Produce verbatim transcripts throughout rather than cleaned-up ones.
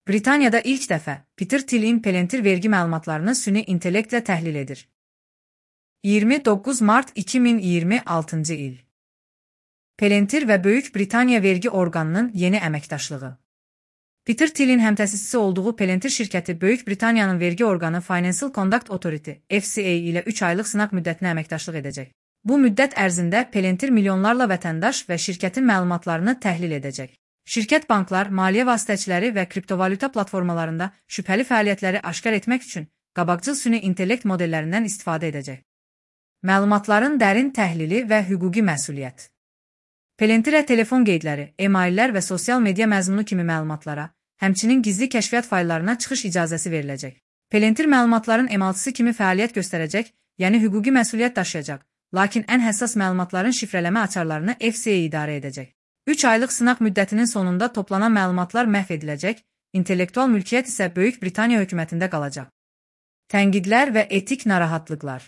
Britaniyada ilk dəfə Peter Thiel'in Palantir vergi məlumatlarını süni intellektlə təhlil edir. iyirmi doqquz mart iki min iyirmi altıncı il. Palantir və Böyük Britaniya vergi orqanının yeni əməkdaşlığı. Peter Thiel'in həmtəsisçisi olduğu Palantir şirkəti Böyük Britaniyanın vergi orqanı Financial Conduct Authority F C A ilə üç aylıq sınaq müddətinə əməkdaşlıq edəcək. Bu müddət ərzində Palantir milyonlarla vətəndaş və şirkətin məlumatlarını təhlil edəcək. Şirkət banklar, maliyyə vasitəçiləri və kriptovalyuta platformalarında şübhəli fəaliyyətləri aşkar etmək üçün qabaqcıl süni intellekt modellərindən istifadə edəcək. Məlumatların dərin təhlili və hüquqi məsuliyyət. Palantirə telefon qeydləri, e-maillər və sosial media məzmunu kimi məlumatlara, həmçinin gizli kəşfiyyat fayllarına çıxış icazəsi veriləcək. Palantir məlumatların emaltısı kimi fəaliyyət göstərəcək, yəni hüquqi məsuliyyət daşıyacaq, lakin ən həssas məlumatların şifrələmə açarlarını F C A idarə edəcək. üç aylıq sınaq müddətinin sonunda toplanan məlumatlar məhv ediləcək, intellektual mülkiyyət isə Böyük Britaniya hökumətində qalacaq. Tənqidlər və etik narahatlıqlar.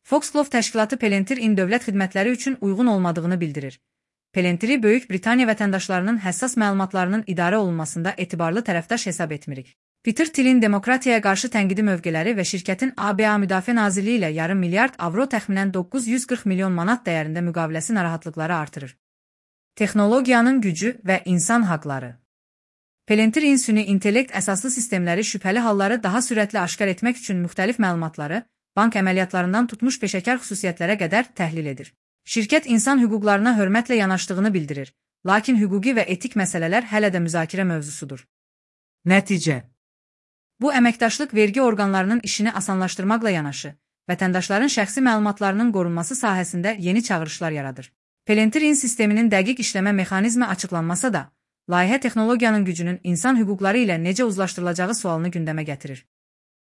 Foxglove təşkilatı Palantir-in dövlət xidmətləri üçün uyğun olmadığını bildirir. Palantiri Böyük Britaniya vətəndaşlarının həssas məlumatlarının idarə olunmasında etibarlı tərəfdaş hesab etmirik. Peter Thiel'in demokratiyaya qarşı tənqidi mövqeləri və şirkətin A B A Müdafiə Nazirliyi ilə yarım milyard avro təxminən doqquz yüz qırx milyon manat dəyərində müqaviləsi narahatlıqları artırır. Texnologiyanın gücü və insan haqları. Palantir-in süni intellekt əsaslı sistemləri şübhəli halları daha sürətli aşkar etmək üçün müxtəlif məlumatları, bank əməliyyatlarından tutmuş peşəkar xüsusiyyətlərə qədər təhlil edir. Şirkət insan hüquqlarına hörmətlə yanaşdığını bildirir, lakin hüquqi və etik məsələlər hələ də müzakirə mövzusudur. Nəticə. Bu əməkdaşlıq vergi orqanlarının işini asanlaşdırmaqla yanaşı, vətəndaşların şəxsi məlumatlarının qorunması sahəsində yeni çağırışlar yaradır. Palantir-in sisteminin dəqiq işləmə mexanizmi açıqlanmasa da, layihə texnologiyanın gücünün insan hüquqları ilə necə uzlaşdırılacağı sualını gündəmə gətirir.